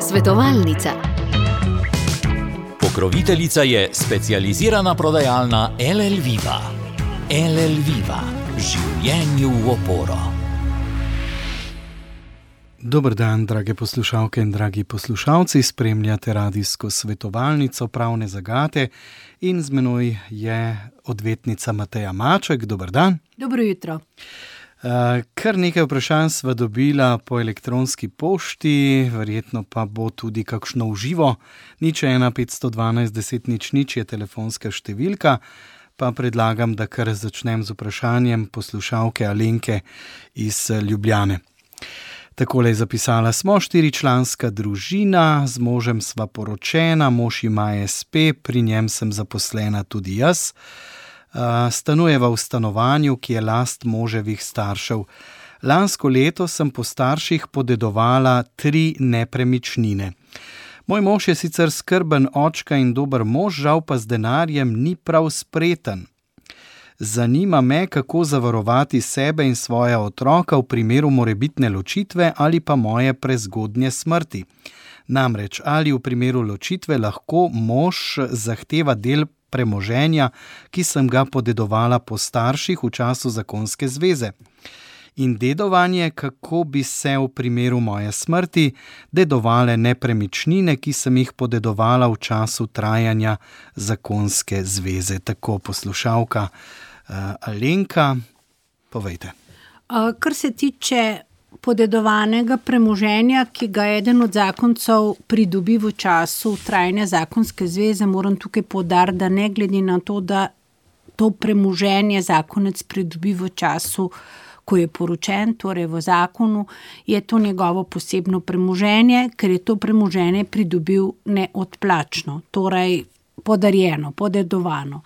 Svetovalnica. Pokroviteljica je specializirana prodajalna LL Viva. LL Viva. Življenju v oporo. Dober dan, drage poslušalke in dragi poslušalci. Spremljate radijsko svetovalnico Pravne zagate in z menoj je odvetnica Mateja Maček. Dober dan. Dobro jutro. Kar nekaj vprašanj sva dobila po elektronski pošti, verjetno pa bo tudi kakšno v živo. 01 512 10 00 je telefonska številka, pa predlagam, da kar začnem z vprašanjem poslušalke Alenke iz Ljubljane. Takole je zapisala: smo 4-članska družina, z možem sva poročena, mož ima SP, pri njem sem zaposlena tudi jaz. Stanujeva v stanovanju, ki je last moževih staršev. Lansko leto sem po starših podedovala 3 nepremičnine. Moj mož je sicer skrben očka in dober mož, žal pa z denarjem ni prav spreten. Zanima me, kako zavarovati sebe in svoja otroka v primeru morebitne ločitve ali pa moje prezgodnje smrti. Namreč, ali v primeru ločitve lahko mož zahteva del premoženja, ki sem ga podedovala po starših v času zakonske zveze. In dedovanje, kako bi se v primeru moje smrti dedovale nepremičnine, ki sem jih podedovala v času trajanja zakonske zveze. Tako poslušalka Alenka, povejte. Kar se tiče podedovanega premoženja, ki ga eden od zakoncev pridobi v času trajanja zakonske zveze, moram tukaj poudariti, da ne glede na to, da to premoženje zakonec pridobi v času, ko je poročen, torej v zakonu, je to njegovo posebno premoženje, ker je to premoženje pridobil neodplačno, torej podarjeno, podedovano.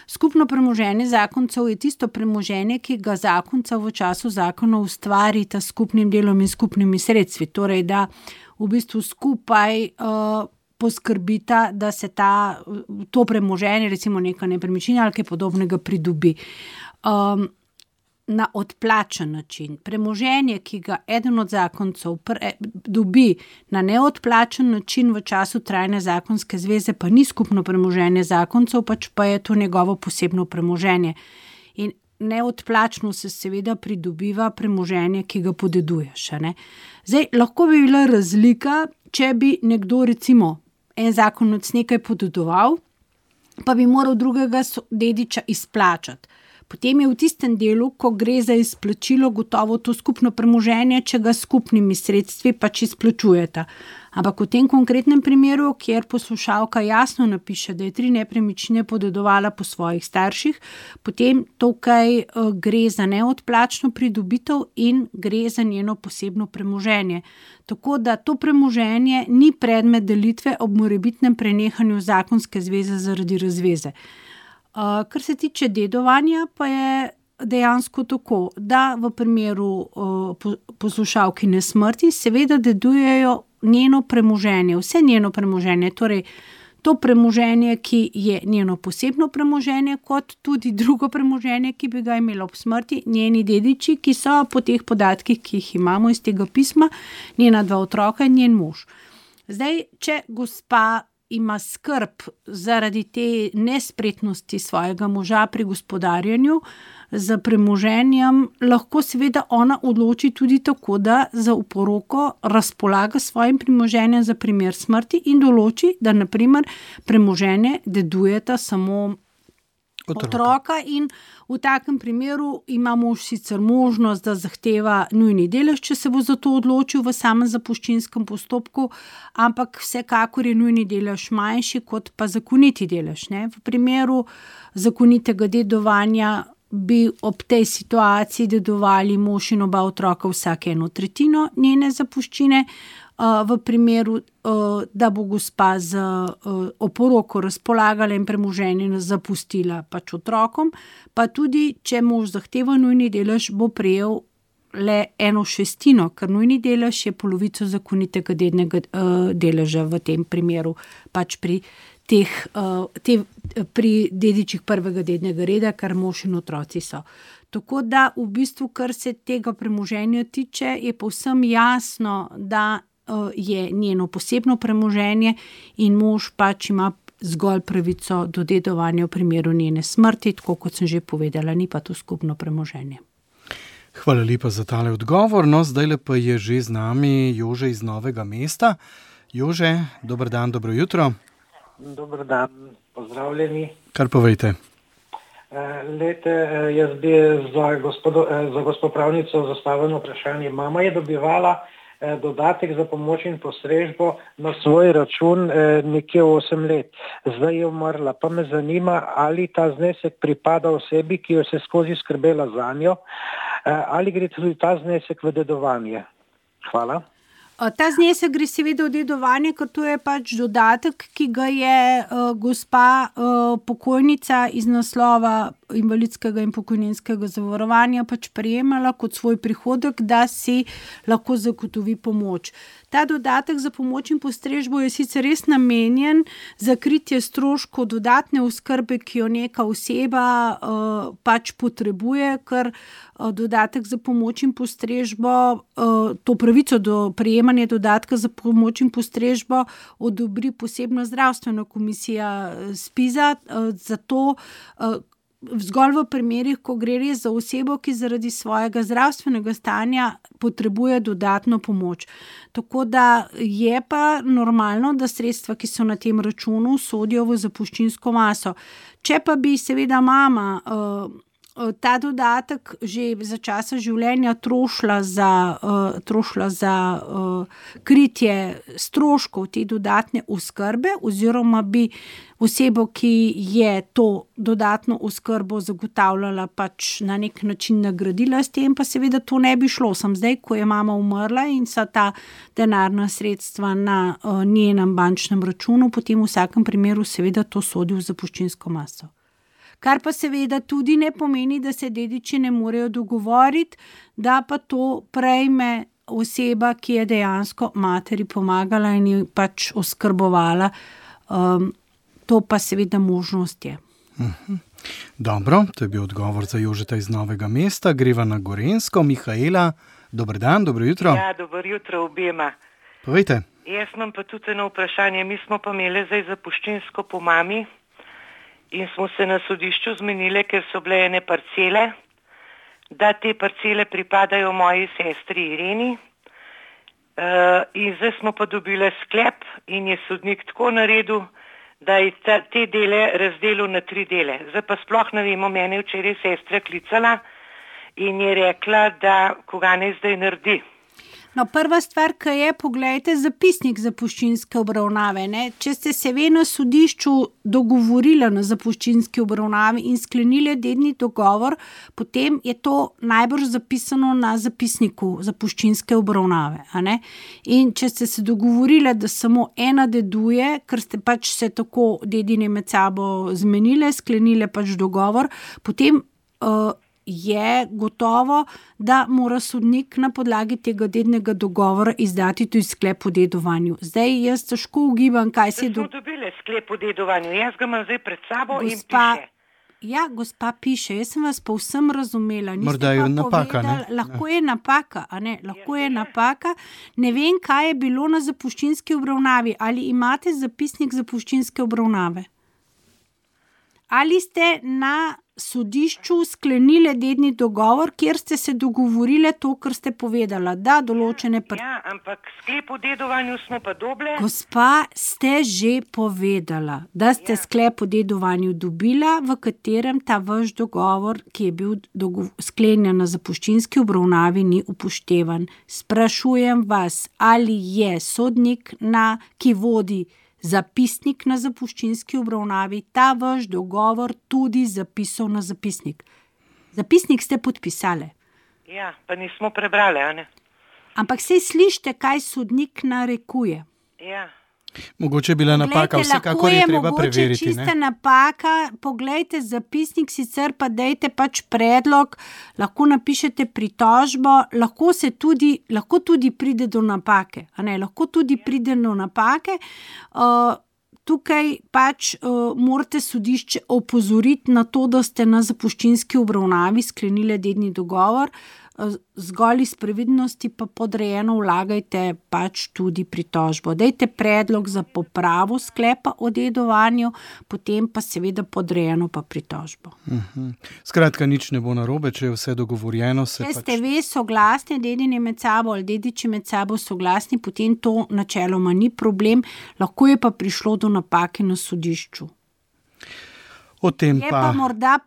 Skupno premoženje zakoncev je tisto premoženje, ki ga zakonca v času zakona ustvarita s skupnim delom in skupnimi sredstvi. Torej, da v bistvu skupaj poskrbita, da se to premoženje, recimo neka nepremičnina ali kaj podobnega, pridobi na odplačen način. Premoženje, ki ga eden od zakoncev dobi na neodplačen način v času trajanja zakonske zveze, pa ni skupno premoženje zakoncev, pač pa je to njegovo posebno premoženje. In neodplačno se seveda pridobiva premoženje, ki ga podeduješ. Zdaj, lahko bi bila razlika, če bi nekdo, recimo, en zakonec nekaj podedoval, pa bi moral drugega dediča izplačati. Potem je v tistem delu, ko gre za izplačilo, gotovo to skupno premoženje, če ga skupnimi sredstvi pač izplačujeta. Ampak v tem konkretnem primeru, kjer poslušalka jasno napiše, da je 3 nepremičnine podedovala po svojih starših, potem tukaj gre za neodplačno pridobitev in gre za njeno posebno premoženje. Tako da to premoženje ni predmet delitve ob morebitnem prenehanju zakonske zveze zaradi razveze. Kar se tiče dedovanja, pa je dejansko tako, da v primeru poslušalkine smrti seveda dedujejo njeno premoženje, vse njeno premoženje, torej to premoženje, ki je njeno posebno premoženje, kot tudi drugo premoženje, ki bi ga imela ob smrti, njeni dediči, ki so po teh podatkih, ki jih imamo iz tega pisma, njena 2 otroka in njen mož. Zdaj, če gospa ima skrb zaradi te nespretnosti svojega moža pri gospodarjenju z premoženjem, lahko seveda ona odloči tudi tako, da za oporoko razpolaga svojim premoženjem za primer smrti in določi, da na primer premoženje dedujeta samo otroka in v takem primeru ima mož sicer možnost, da zahteva nujni delež, če se bo za to odločil v samem zapuščinskem postopku, ampak vsekakor je nujni delež manjši kot pa zakoniti delež. V primeru zakonitega dedovanja bi ob tej situaciji dedovali mož in oba otroka vsake 1/3 njene zapuščine. V primeru, da bo gospa z oporoko razpolagala in premoženje zapustila pač otrokom, pa tudi, če mož zahteva nujni delež, bo prejel le 1/6, ker nujni delež je polovico zakonitega dednega deleža v tem primeru pač pri pri dedičih prvega dednega reda, kar mož in otroci so. Tako da v bistvu, kar se tega premoženja tiče, je povsem jasno, da je njeno posebno premoženje in mož pač ima zgolj pravico do dedovanja v primeru njene smrti, tako kot sem že povedala, ni pa to skupno premoženje. Hvala lepa za tale odgovor. No, zdajle pa je že z nami Jože iz Novega mesta. Jože, dober dan, dobro jutro. Dober dan, pozdravljeni. Kar povejte. Jaz bi za gospod pravnico zastavljeno vprašanje. Mama je dobivala dodatek za pomoč in postrežbo na svoj račun nekje 8 let. Zdaj je umrla. Pa me zanima, ali ta znesek pripada osebi, ki jo se skozi skrbela zanjo, ali gre tudi ta znesek v dedovanje. Hvala. Ta znesek gre seveda v dedovanje, ker to je pač dodatek, ki ga je gospa pokojnica iz naslova invalidskega in pokojninskega zavarovanja pač prejemala kot svoj prihodek, da si lahko zagotovi pomoč. Ta dodatek za pomoč in postrežbo je sicer res namenjen za kritje stroškov dodatne oskrbe, ki jo neka oseba pač potrebuje, ker dodatek za pomoč in postrežbo, to pravico do prejemanja dodatka za pomoč in postrežbo odobri posebna zdravstvena komisija ZPIZ-a, zato zgolj v primerih, ko gre res za osebo, ki zaradi svojega zdravstvenega stanja potrebuje dodatno pomoč. Tako da je pa normalno, da sredstva, ki so na tem računu, sodijo v zapuščinsko maso. Če pa bi seveda mama ta dodatek že za časa življenja trošila za kritje stroškov te dodatne oskrbe, oziroma bi osebo, ki je to dodatno oskrbo zagotavljala, pač na nek način nagradila s tem, pa seveda to ne bi šlo. Sam zdaj, ko je mama umrla in so ta denarna sredstva na njenem bančnem računu, potem v vsakem primeru seveda to sodi v zapuščinsko maso. Kar pa seveda tudi ne pomeni, da se dediči ne morejo dogovoriti, da pa to prejme oseba, ki je dejansko materi pomagala in jo pač oskrbovala. To pa seveda možnost je. Dobro, to je bil odgovor za Jožeta iz Novega mesta. Greva na Gorenjsko. Mihaela, dober dan, dobro jutro. Ja, dobro jutro obema. Povejte. Jaz imam pa tudi eno vprašanje. Mi smo pa imeli zdaj zapuščinsko po mami in smo se na sodišču zmenili, ker so bile ene parcele, da te parcele pripadajo moji sestri Ireni. In zdaj smo pa dobili sklep in je sodnik tako naredil, da je te dele razdelil na 3 dele. Zdaj pa sploh ne vemo, mene včeraj sestra klicala in je rekla, da koga ne zdaj naredi. No, prva stvar, ki je, poglejte zapisnik zapuščinske obravnave. Ne? Če ste se ve na sodišču dogovorili na zapuščinski obravnavi in sklenili dedni dogovor, potem je to najbrž zapisano na zapisniku zapuščinske obravnave. A ne? In če ste se dogovorili, da samo ena deduje, ker ste pač se tako dedine med sabo zmenili, sklenili pač dogovor, potem je gotovo, da mora sodnik na podlagi tega dednega dogovora izdati tudi sklep o dedovanju. Zdaj jaz težko ugibam, kaj se je smo dobili sklep o dedovanju. Jaz ga imam zdaj pred sabo in piše. Ja, gospa piše, jaz sem vas povsem razumela. Morda je napaka, ne? Lahko je napaka, a ne? Lahko je napaka. Ne vem, kaj je bilo na zapuščinski obravnavi. Ali imate zapisnik zapuščinske obravnave? Ali ste na sodišču sklenili dedni dogovor, kjer ste se dogovorili to, kar ste povedala, da določene... Ja, ampak sklep o dedovanju smo pa dobili. Gospa, ste že povedala, da ste sklep o dedovanju dobila, v katerem ta vaš dogovor, ki je bil sklenjen na zapuščinski obravnavi, ni upoštevan. Sprašujem vas, ali je sodnik, ki vodi zapisnik na zapuščinski obravnavi, ta vaš dogovor tudi zapisal na zapisnik. Zapisnik ste podpisali. Ja, pa nismo prebrali, a ne? Ampak saj slišite, kaj sodnik narekuje. Ja. Mogoče je bila napaka, vsekakor je treba preveriti. Mogoče čista napaka, poglejte zapisnik, sicer pa dejte pač predlog, lahko napišete pritožbo, lahko tudi pride do napake. A ne, lahko tudi pride do napake. tukaj pač morate sodišče opozoriti na to, da ste na zapuščinski obravnavi sklenili dedni dogovor, zgolj iz previdnosti pa podrejeno vlagajte pač tudi pritožbo. Dajte predlog za popravo sklepa o dedovanju, potem pa seveda podrejeno pa pritožbo. Skratka, nič ne bo narobe, če je vse dogovorjeno. Če ste ve soglasni, dedini med sabo ali dediči med sabo soglasni, potem to načeloma ni problem, lahko je pa prišlo do napake na sodišču. O tem je pa morda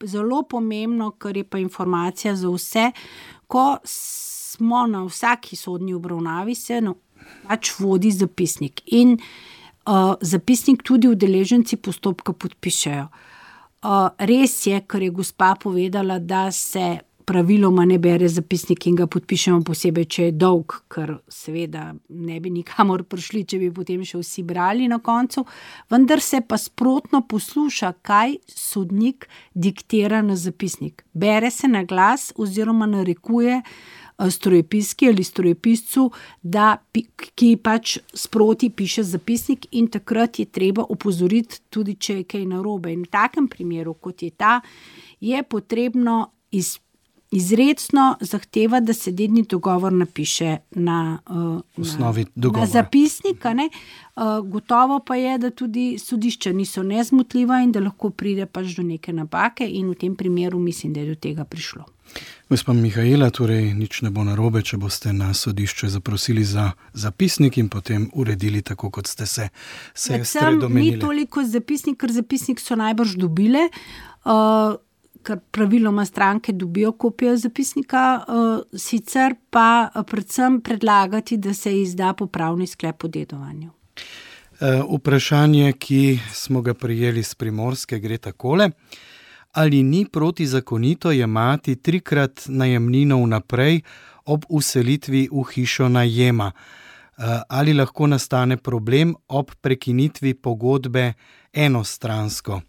zelo pomembno, kar je pa informacija za vse, ko smo na vsaki sodni obravnavi, se pač vodi zapisnik in zapisnik tudi udeleženci postopka podpišejo. Res je, kar je gospa povedala, da se praviloma ne bere zapisnik in ga podpišemo posebej, če je dolg, ker seveda ne bi nikamor prišli, če bi potem še vsi brali na koncu, vendar se pa sprotno posluša, kaj sodnik diktira na zapisnik. Bere se na glas oziroma narekuje strojepiski ali strojepiscu, ki pač sproti piše zapisnik in takrat je treba opozoriti tudi, če je kaj narobe. In v takem primeru, kot je ta, je potrebno izrecno zahteva, da se dedni dogovor napiše na zapisnik. Gotovo pa je, da tudi sodišča niso nezmotljiva in da lahko pride pač do neke napake in v tem primeru mislim, da je do tega prišlo. Gospa Mihaela, torej nič ne bo narobe, če boste na sodišče zaprosili za zapisnik in potem uredili tako, kot ste se domenili. Ni toliko zapisnik, ker zapisnik so najbrž dobile, ker praviloma stranke dobijo kopijo zapisnika, sicer pa predvsem predlagati, da se izda popravni sklep o dedovanju. Vprašanje, ki smo ga prijeli z Primorske, gre takole. Ali ni protizakonito jemati 3-krat najemnino vnaprej ob vselitvi v hišo najema? Ali lahko nastane problem ob prekinitvi pogodbe enostransko?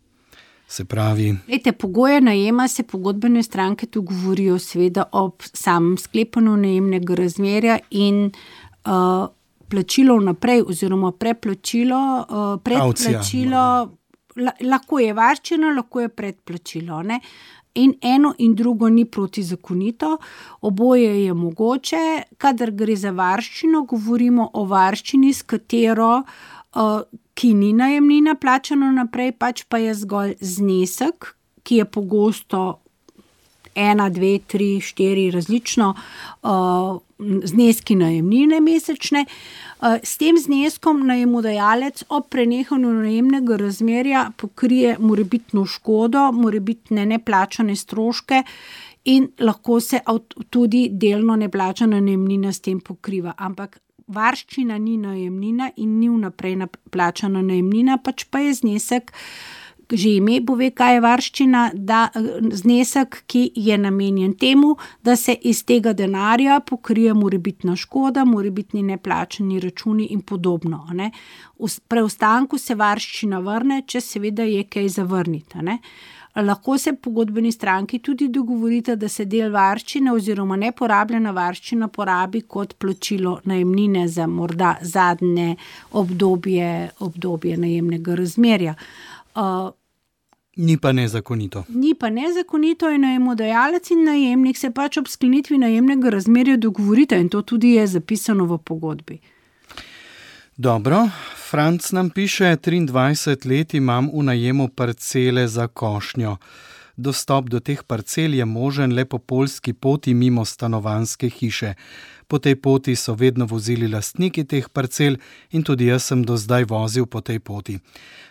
Se pravi... Pogoje najema se pogodbene stranke dogovorijo seveda ob samem sklepanju najemnega razmerja in plačilo vnaprej oziroma predplačilo, lahko je varščina, lahko je predplačilo. Ne? In eno in drugo ni protizakonito, oboje je mogoče. Kadar gre za varščino, govorimo o varščini, s katero ki ni najemnina plačano naprej, pač pa je zgolj znesek, ki je pogosto 1, 2, 3, 4 različno zneski najemnine mesečne. S tem zneskom najemodajalec ob prenehanju najemnega razmerja pokrije morebitno škodo, morebitne neplačane stroške in lahko se tudi delno neplačana najemnina s tem pokriva. Ampak varščina ni najemnina in ni vnaprej plačana najemnina, pač pa je znesek, že ime pove, kaj je varščina, da znesek, ki je namenjen temu, da se iz tega denarja pokrije morebitna škoda, morebitni neplačani računi in podobno. Ne? V preostanku se varščina vrne, če seveda je kaj zavrniti. Ne? Lahko se pogodbeni stranki tudi dogovorite, da se del varščine oziroma neporabljena varščina porabi kot plačilo najemnine za morda zadnje obdobje najemnega razmerja. Ni pa nezakonito. Ni pa nezakonito in najemodajalec in najemnik se pač ob sklenitvi najemnega razmerja dogovorite in to tudi je zapisano v pogodbi. Dobro, Franc nam piše, 23 let imam v najemu parcele za košnjo. Dostop do teh parcel je možen le po poljski poti mimo stanovanjske hiše. Po tej poti so vedno vozili lastniki teh parcel in tudi jaz sem do zdaj vozil po tej poti.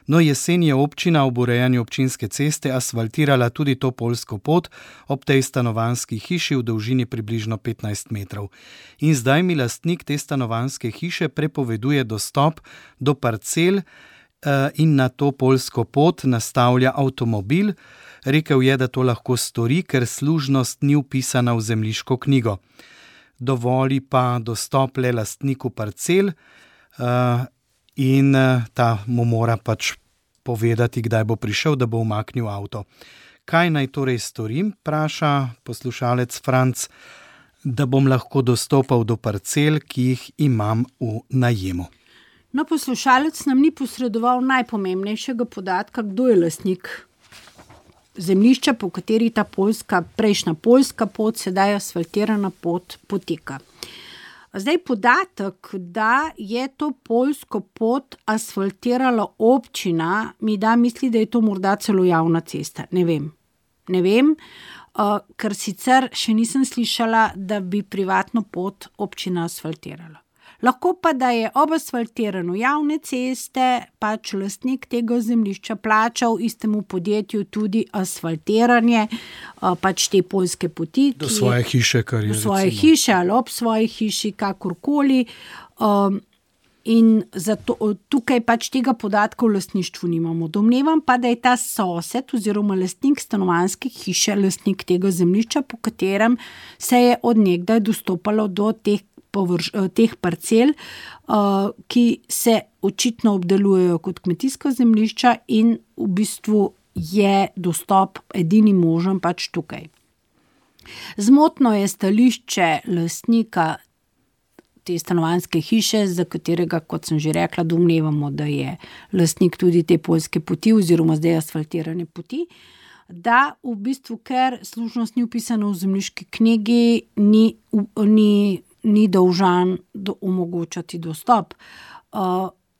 No, jesen je občina ob urejanju občinske ceste asfaltirala tudi to poljsko pot ob tej stanovanjski hiši v dolžini približno 15 metrov. In zdaj mi lastnik te stanovanjske hiše prepoveduje dostop do parcel in na to poljsko pot nastavlja avtomobil. Rekel je, da to lahko stori, ker služnost ni vpisana v zemljiško knjigo. Dovoli pa dostop le lastniku parcel in ta mu mora pač povedati, kdaj bo prišel, da bo umaknil avto. Kaj naj torej storim, vpraša poslušalec Franc, da bom lahko dostopal do parcel, ki jih imam v najemu. No, poslušalec nam ni posredoval najpomembnejšega podatka, kdo je lastnik zemljišča, po kateri ta prejšnja poljska pot, sedaj asfaltirana pot poteka. Zdaj podatek, da je to poljsko pot asfaltirala občina, mi da misli, da je to morda celo javna cesta. Ne vem, ker sicer še nisem slišala, da bi privatno pot občina asfaltirala. Lahko pa, da je ob asfaltiranju javne ceste pač lastnik tega zemljišča plačal istemu podjetju tudi asfaltiranje pač te poljske poti. Do svoje hiše, kar je. Do svoje hiše ali ob svoji hiši, kakorkoli. In zato tukaj pač tega podatka v lastništvu nimamo. Domnevam pa, da je ta sosed oziroma lastnik stanovanjske hiše lastnik tega zemljišča, po katerem se je od nekdaj dostopalo do teh parcel, ki se očitno obdelujejo kot kmetijska zemljišča in v bistvu je dostop edini možen pač tukaj. Zmotno je stališče lastnika te stanovanjske hiše, za katerega, kot sem že rekla, domnevamo, da je lastnik tudi te poljske poti oziroma zdaj asfaltirane poti, da v bistvu, ker služnost ni vpisana v zemljiški knjigi, ni dolžan omogočati dostop.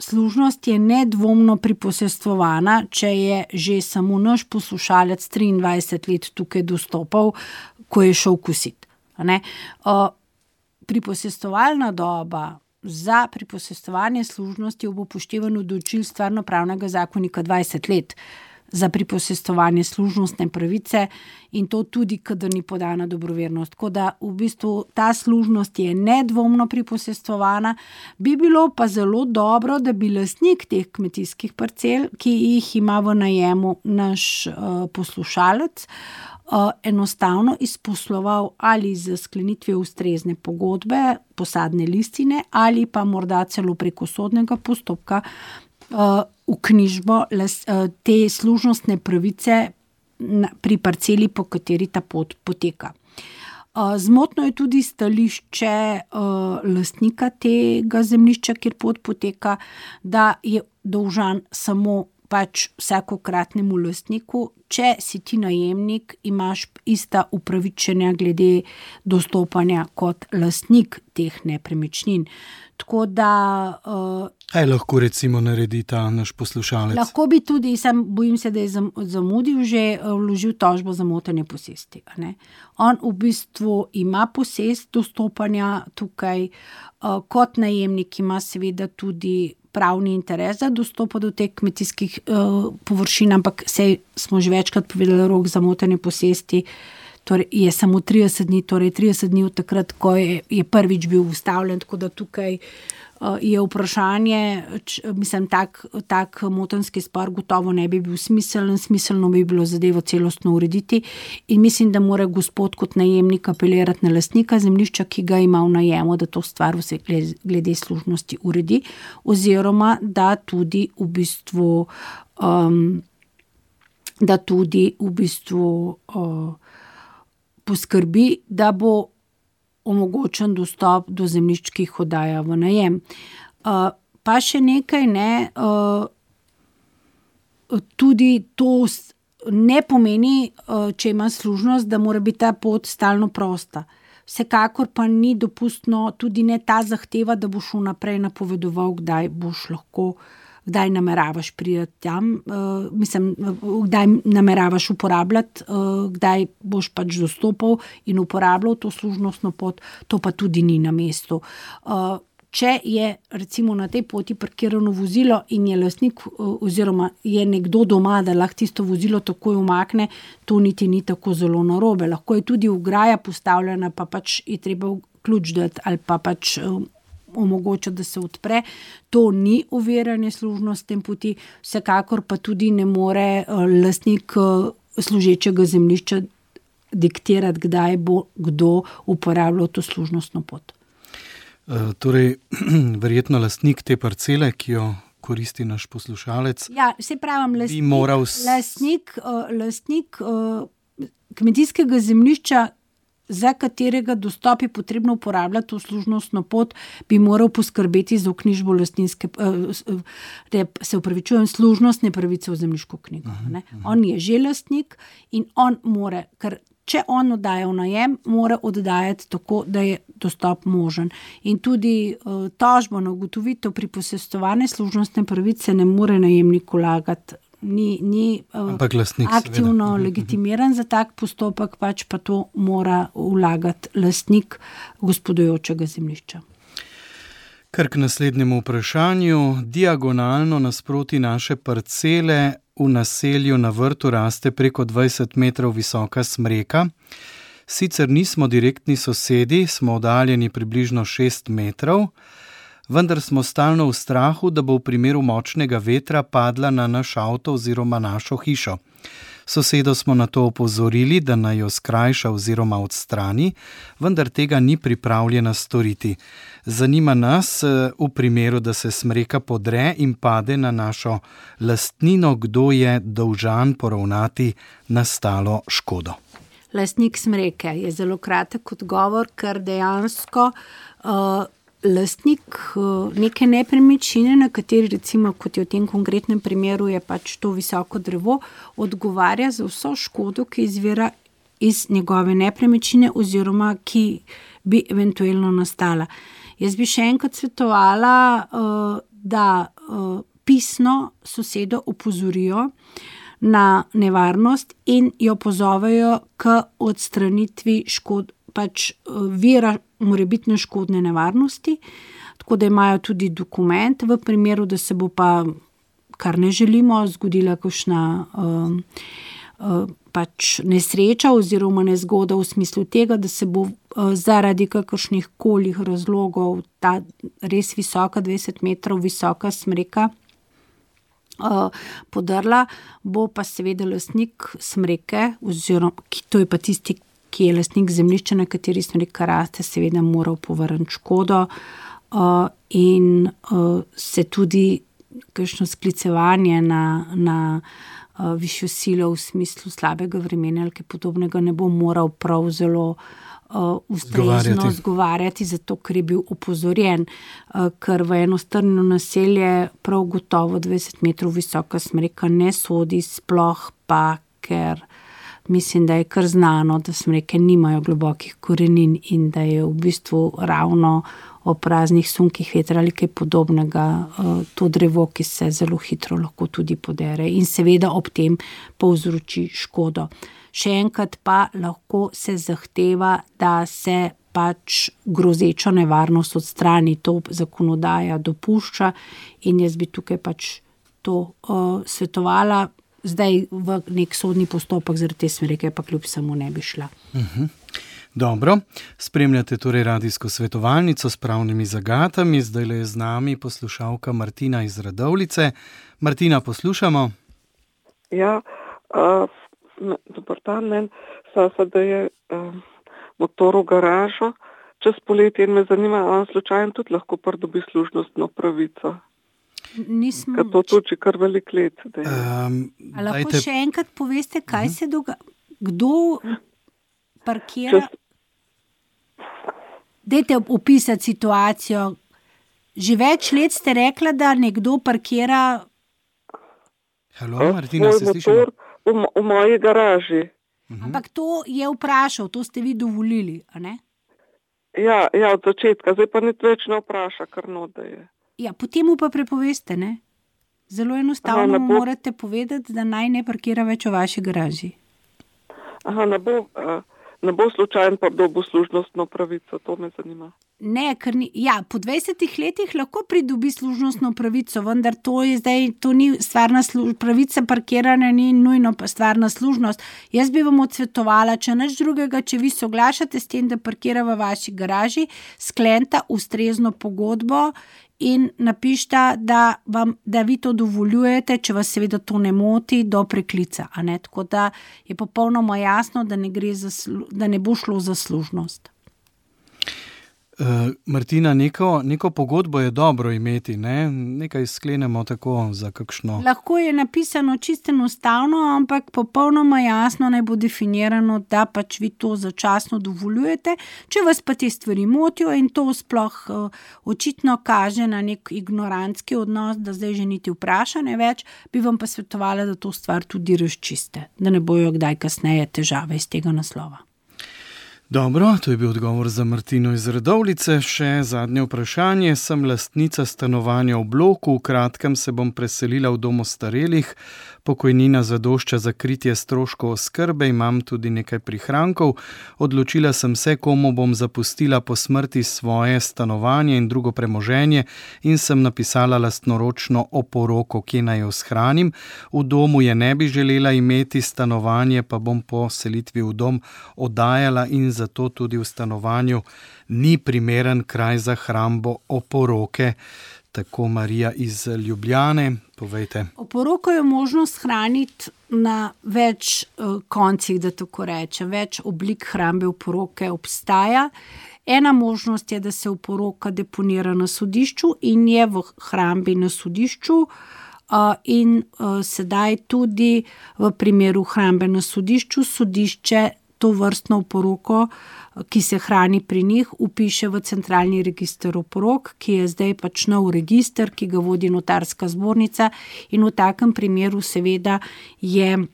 Služnost je nedvomno priposestvovana, če je že samo naš poslušalec 23 let tukaj dostopal, ko je šel kositi. Priposestovalna doba za priposestovanje služnosti ob upoštevanju določil Stvarnopravnega zakonika 20 let za priposestovanje služnostne pravice in to tudi, kadar ni podana dobrovernost. Tako da v bistvu ta služnost je nedvomno priposestovana, bi bilo pa zelo dobro, da bi lastnik teh kmetijskih parcel, ki jih ima v najemu naš poslušalec, enostavno izposloval ali z sklenitvijo ustrezne pogodbe, posadne listine ali pa morda celo preko sodnega postopka v knjižbo te služnostne pravice pri parceli, po kateri ta pot poteka. Zmotno je tudi stališče lastnika tega zemljišča, kjer pot poteka, da je dolžan samo pač vsakokratnemu lastniku, če si ti najemnik, imaš ista upravičenja glede dostopanja kot lastnik teh nepremičnin. Tako da... Kaj lahko recimo naredi ta naš poslušalec? Lahko bi tudi, bojim se, da je zamudil, že vložil tožbo za motenje posesti. On v bistvu ima posest dostopanja tukaj, kot najemnik ima seveda tudi pravni interes za dostopa do teh kmetijskih površin, ampak smo že večkrat povedali, rok za motenje posesti torej je samo 30 dni, torej 30 dni od takrat, ko je prvič bil ustavljen, tako da tukaj je vprašanje, mislim, tak motenski spor gotovo ne bi bil smiselno bi bilo zadevo celostno urediti in mislim, da mora gospod kot najemnik apelirati na lastnika zemljišča, ki ga ima v najemu, da to stvar vse glede služnosti uredi, oziroma da tudi v bistvu poskrbi, da bo omogočen dostop do zemljišč, ki jih oddaja v najem. Pa še nekaj, tudi to ne pomeni, če ima služnost, da mora biti ta pot stalno prosta. Vsekakor pa ni dopustno, tudi ne ta zahteva, da boš vnaprej napovedoval, kdaj nameravaš priti tam, kdaj nameravaš uporabljati, kdaj boš pač dostopal in uporabljal to služnostno pot, to pa tudi ni na mestu. Če je recimo na tej poti parkirano vozilo in je lastnik oziroma je nekdo doma, da lahko tisto vozilo takoj umakne, to niti ni tako zelo narobe. Lahko je tudi ograja postavljena, pa pač je treba ključ dati ali pa pač omogočati, da se odpre. To ni oviranje služnostne poti, vsekakor pa tudi ne more lastnik služečega zemljišča diktirati, kdaj bo kdo uporabljal to služnostno pot. Torej, verjetno lastnik te parcele, ki jo koristi naš poslušalec, se pravim, bi moral... Lastnik kmetijskega zemljišča, za katerega dostop je potrebno uporabljati to služnostno pot, bi moral poskrbeti za vknjižbo služnostne pravice v zemljiško knjigo. Ne? On je že lastnik in on mora, ker če on oddaja v najem, mora oddajati tako, da je dostop možen. In tudi tožbo na ugotovitev pri posestvovanju služnostne pravice ne more najemnik vlagati. Ni aktivno legitimiran za tak postopek, pač pa to mora vlagati lastnik gospodujočega zemljišča. Kar k naslednjemu vprašanju. Diagonalno nasproti naše parcele v naselju na vrtu raste preko 20 metrov visoka smreka. Sicer nismo direktni sosedi, smo oddaljeni približno 6 metrov, vendar smo stalno v strahu, da bo v primeru močnega vetra padla na naš avto oziroma našo hišo. Sosedo smo na to opozorili, da naj jo skrajša oziroma odstrani, vendar tega ni pripravljena storiti. Zanima nas, v primeru, da se smreka podre in pade na našo lastnino, kdo je dolžan poravnati nastalo škodo. Lastnik smreke je zelo kratek odgovor, ker dejansko lastnik neke nepremičnine, na kateri recimo, kot je v tem konkretnem primeru, je pač to visoko drevo, odgovarja za vso škodo, ki izvira iz njegove nepremičnine oziroma ki bi eventualno nastala. Jaz bi še enkrat svetovala, da pisno sosedo opozorijo na nevarnost in jo pozovejo k odstranitvi škod, pač vira morebitne škodne nevarnosti, tako da imajo tudi dokument v primeru, da se bo pa, kar ne želimo, zgodila kakšna pač nesreča oziroma nezgoda v smislu tega, da se bo zaradi kakršnih kolih razlogov ta res visoka, 20 metrov visoka smreka podrla, bo pa seveda lastnik smreke, oziroma to je pa tisti, ki je lastnik zemljišča, na kateri smreka raste, seveda moral povrniti škodo in se tudi kakšno sklicevanje na višjo silo v smislu slabega vremena ali kaj podobnega ne bo moral prav zelo ustrezno zgovarjati, zato ker je bil opozorjen, ker v eno strnjeno naselje prav gotovo 20 metrov visoka smreka ne sodi, sploh pa, ker mislim, da je kar znano, da smreke nimajo globokih korenin in da je v bistvu ravno ob praznih sunkih vetra ali kaj podobnega to drevo, ki se zelo hitro lahko tudi podere in seveda ob tem povzroči škodo. Še enkrat pa lahko se zahteva, da se pač grozečo nevarnost odstrani, to zakonodaja dopušča in jaz bi tukaj pač to svetovala. Zdaj v nek sodni postopek zaradi te smreke pa kljub samo ne bi šla. Dobro, spremljate torej radijsko svetovalnico s pravnimi zagatami. Zdajle je z nami poslušalka Martina iz Radovljice. Martina, poslušamo. Ja, dober dan, meni da je motor v garažo čez poletje in me zanima, ali slučajno tudi lahko pridobi služnostno pravico. Ker to tudi kar velik let. Lahko še enkrat poveste, kaj se dogaja? Kdo parkira? Dajte opisati situacijo. Že več let ste rekla, da nekdo parkira... Halo, Martina, se slišimo? V moji garaži. Ampak to je vprašal, to ste vi dovolili, a ne? Ja, od začetka. Zdaj pa nič več ne vpraša, kar da je. Ja, potem mu pa prepoveste, ne? Zelo enostavno morate povedati, da naj ne parkira več v vaši garaži. Ne bo slučajno pa dobil služnostno pravico, to me zanima. Ne, ker po 20 letih lahko pridobi služnostno pravico, vendar to je zdaj, to ni stvarna pravica parkiranja, ni nujno pa stvarna služnost. Jaz bi vam odsvetovala, če nič drugega, če vi soglašate s tem, da parkira v vaši garaži, skleneta ustrezno pogodbo in napišta, da vi to dovoljujete, če vas seveda to ne moti, do preklica. A ne? Tako da je popolnoma jasno, da ne bo šlo za služnost. Martina, neko pogodbo je dobro imeti, ne? Nekaj sklenemo tako za kakšno. Lahko je napisano čisto enostavno, ampak popolnoma jasno naj bo definirano, da pač vi to začasno dovoljujete. Če vas pa te stvari motijo in to sploh očitno kaže na nek ignorantski odnos, da zdaj že niti vpraša ne več, bi vam pa svetovala, da to stvar tudi razčiste, da ne bojo kdaj kasneje težave iz tega naslova. Dobro, to je bil odgovor za Martino iz Radovljice. Še zadnje vprašanje. Sem lastnica stanovanja v bloku, v kratkem se bom preselila v dom ostarelih. Pokojnina zadošča za kritje stroškov oskrbe, imam tudi nekaj prihrankov. Odločila sem se, komu bom zapustila po smrti svoje stanovanje in drugo premoženje in sem napisala lastnoročno oporoko, kje naj jo shranim. V domu je ne bi želela imeti, stanovanje pa bom po selitvi v dom oddajala in zato tudi v stanovanju ni primeren kraj za hrambo oporoke. Tako Marija iz Ljubljane, povejte. Oporoko je možno shraniti na več koncih, da tako rečem, več oblik hrambe oporoke obstaja. Ena možnost je, da se oporoka deponira na sodišču in je v hrambi na sodišču. In sedaj tudi v primeru hrambe na sodišču sodišče to vrstno oporoko, ki se hrani pri njih, vpiše v centralni register oporok, ki je zdaj pač nov register, ki ga vodi notarska zbornica in v takem primeru seveda je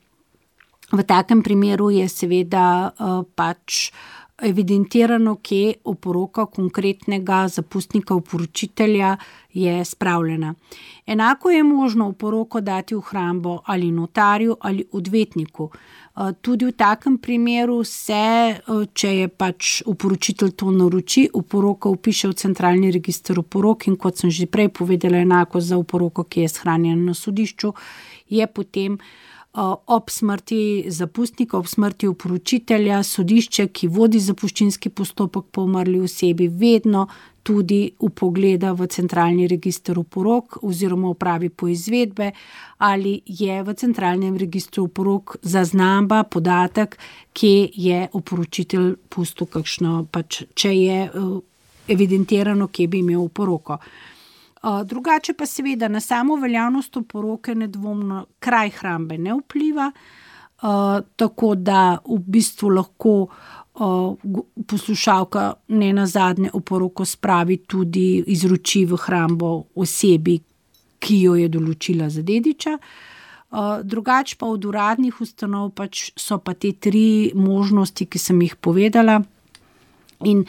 pač evidentirano, kje oporoka konkretnega zapustnika oporočitelja je spravljena. Enako je možno oporoko dati v hrambo ali notarju ali odvetniku. Tudi v takem primeru se, če je pač oporočitelj to naroči, oporoka vpiše v centralni register oporok in kot sem že prej povedala, enako za oporoko, ki je shranjena na sodišču, je potem ob smrti zapustnika, ob smrti oporočitelja, sodišče, ki vodi zapuščinski postopek po umrli osebi, vedno tudi vpogleda v centralni register oporok oziroma opravi poizvedbe, ali je v centralnem registru oporok zaznamba, podatek, kje je oporočitelj pustil kakšno, pač, če je evidentirano, kje bi imel oporoko. Drugače pa seveda na samo veljavnost oporoke nedvomno kraj hrambe ne vpliva, tako da v bistvu lahko poslušalka ne nazadnje oporoko spravi tudi izroči v hrambo osebi, ki jo je določila za dediča. Drugače pa od uradnih ustanov pač so pa te 3 možnosti, ki sem jih povedala, in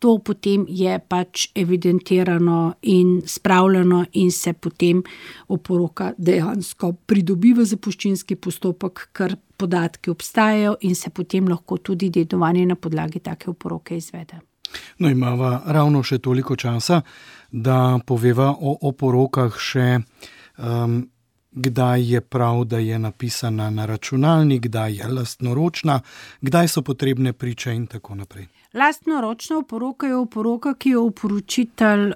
to potem je pač evidentirano in spravljeno in se potem oporoka dejansko pridobi v zapuščinski postopek, ker podatki obstajajo in se potem lahko tudi dedovanje na podlagi take oporoke izvede. No, imava ravno še toliko časa, da poveva o oporokah še, kdaj je prav, da je napisana na računalnik, kdaj je lastnoročna, kdaj so potrebne priče in tako naprej. Lastnoročna oporoka je oporoka, ki jo oporočitelj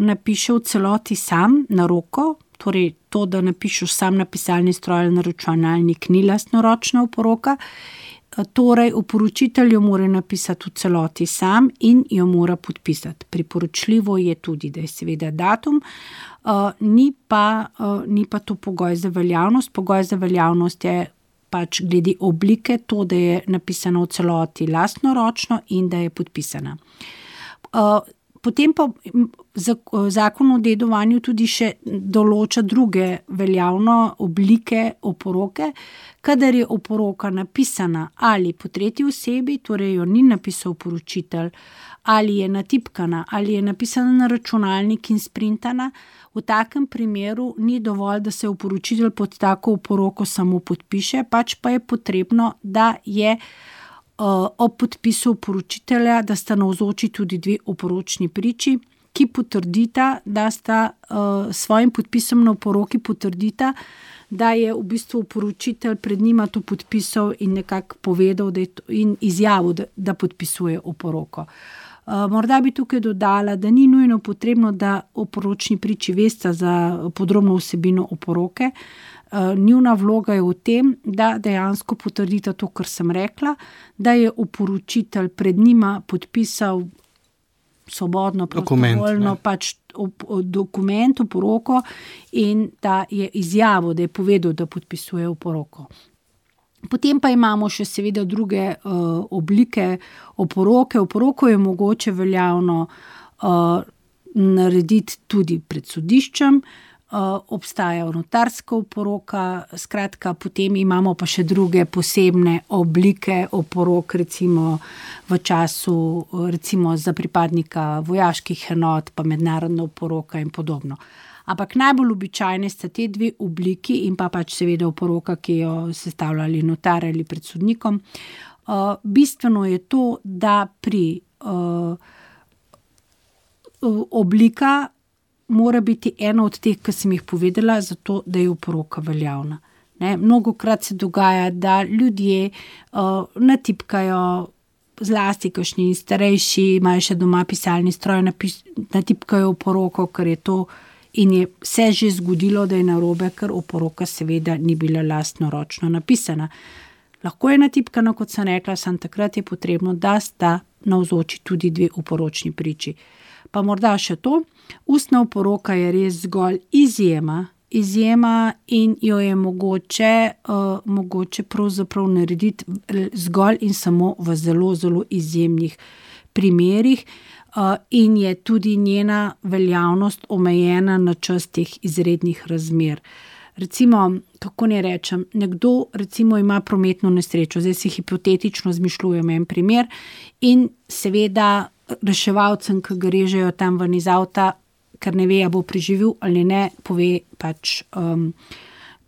napiše v celoti sam na roko, torej to, da napišeš sam na pisalni stroj ali na računalnik, ni lastnoročna oporoka. Torej, oporočitelj jo mora napisati v celoti sam in jo mora podpisati. Priporočljivo je tudi, da je seveda datum, ni pa to pogoj za veljavnost. Pogoj za veljavnost je pač glede oblike to, da je napisano v celoti lastnoročno in da je podpisana. Potem pa zakon o dedovanju tudi še določa druge veljavne oblike oporoke, kadar je oporoka napisana ali po tretji osebi, torej jo ni napisal oporočitelj, ali je natipkana, ali je napisana na računalnik in sprintana. V takem primeru ni dovolj, da se oporočitelj pod tako oporoko samo podpiše, pač pa je potrebno, da je ob podpisu oporočitelja, da sta navzoči tudi 2 oporočni priči, ki potrdita, da sta svojim podpisom na oporoki potrdita, da je v bistvu oporočitelj pred njima to podpisal in nekako povedal in izjavil, da podpisuje oporoko. Morda bi tukaj dodala, da ni nujno potrebno, da oporočni priči vesta za podrobno vsebino oporoke. Njuna vloga je v tem, da dejansko potrdita to, kar sem rekla, da je oporočitelj pred njima podpisal svobodno, prostovoljno pač dokument v poroko in da je izjavil, da je povedal, da podpisuje v poroko. Potem pa imamo še seveda druge oblike oporoke. Oporoko je mogoče veljavno narediti tudi pred sodiščem, obstaja notarska oporoka, skratka, potem imamo pa še druge posebne oblike oporok, recimo v času, recimo za pripadnika vojaških enot, pa mednarodna oporoka in podobno. Ampak najbolj običajne sta te dve obliki in pa pač seveda oporoka, ki jo sestavljali notar ali pred sodnikom. Bistveno je to, da pri oblika mora biti ena od teh, ki sem jih povedala, zato da je oporoka veljavna. Mnogokrat se dogaja, da ljudje natipkajo, zlasti kakšni starejši, imajo še doma pisalni stroj, natipkajo oporoko, ker je to in je se že zgodilo, da je narobe, ker oporoka seveda ni bila lastnoročno napisana. Lahko je natipkana, kot sem rekla, samo takrat je potrebno, da sta navzoči tudi dve oporočni priči. Pa morda še to, ustna oporoka je res zgolj izjema in jo je mogoče pravzaprav narediti zgolj in samo v zelo, zelo izjemnih primerih in je tudi njena veljavnost omejena na čas teh izrednih razmer. Recimo, kako ne rečem, nekdo recimo ima prometno nesrečo, zdaj si hipotetično zmišljujem en primer in seveda reševalcem, ki ga režejo tam ven iz avta, ker ne ve, a bo preživel ali ne, pove pač,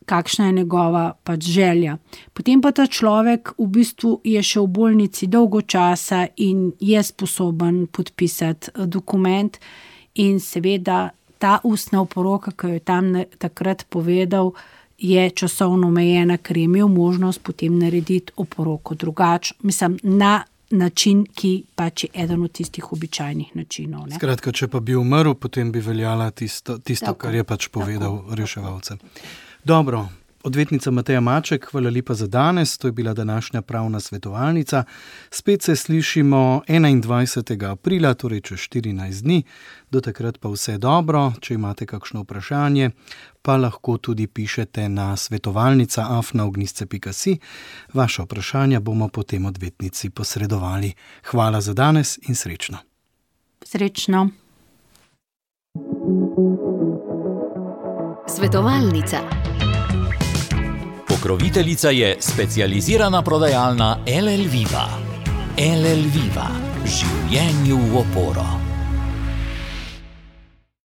kakšna je njegova pač želja. Potem pa ta človek v bistvu je še v bolnici dolgo časa in je sposoben podpisati dokument in seveda ta ustna oporoka, ki jo je tam takrat povedal, je časovno omejena, ker je imel možnost potem narediti oporoko drugače. Mislim, na način, ki pač je eden od tistih običajnih načinov. Skratka, če pa bi umrl, potem bi veljala tisto kar je pač povedal reševalcem. Dobro, odvetnica Mateja Maček, hvala lepa za danes, to je bila današnja pravna svetovalnica. Spet se slišimo 21. aprila, torej čez 14 dni. Do takrat pa vse dobro, če imate kakšno vprašanje, pa lahko tudi pišete na svetovalnica@ognisce.si. Vaša vprašanja bomo potem odvetnici posredovali. Hvala za danes in srečno. Srečno. Svetovalnica. Pokroviteljica je specializirana prodajalna LL Viva. LL Viva. Življenju v oporo.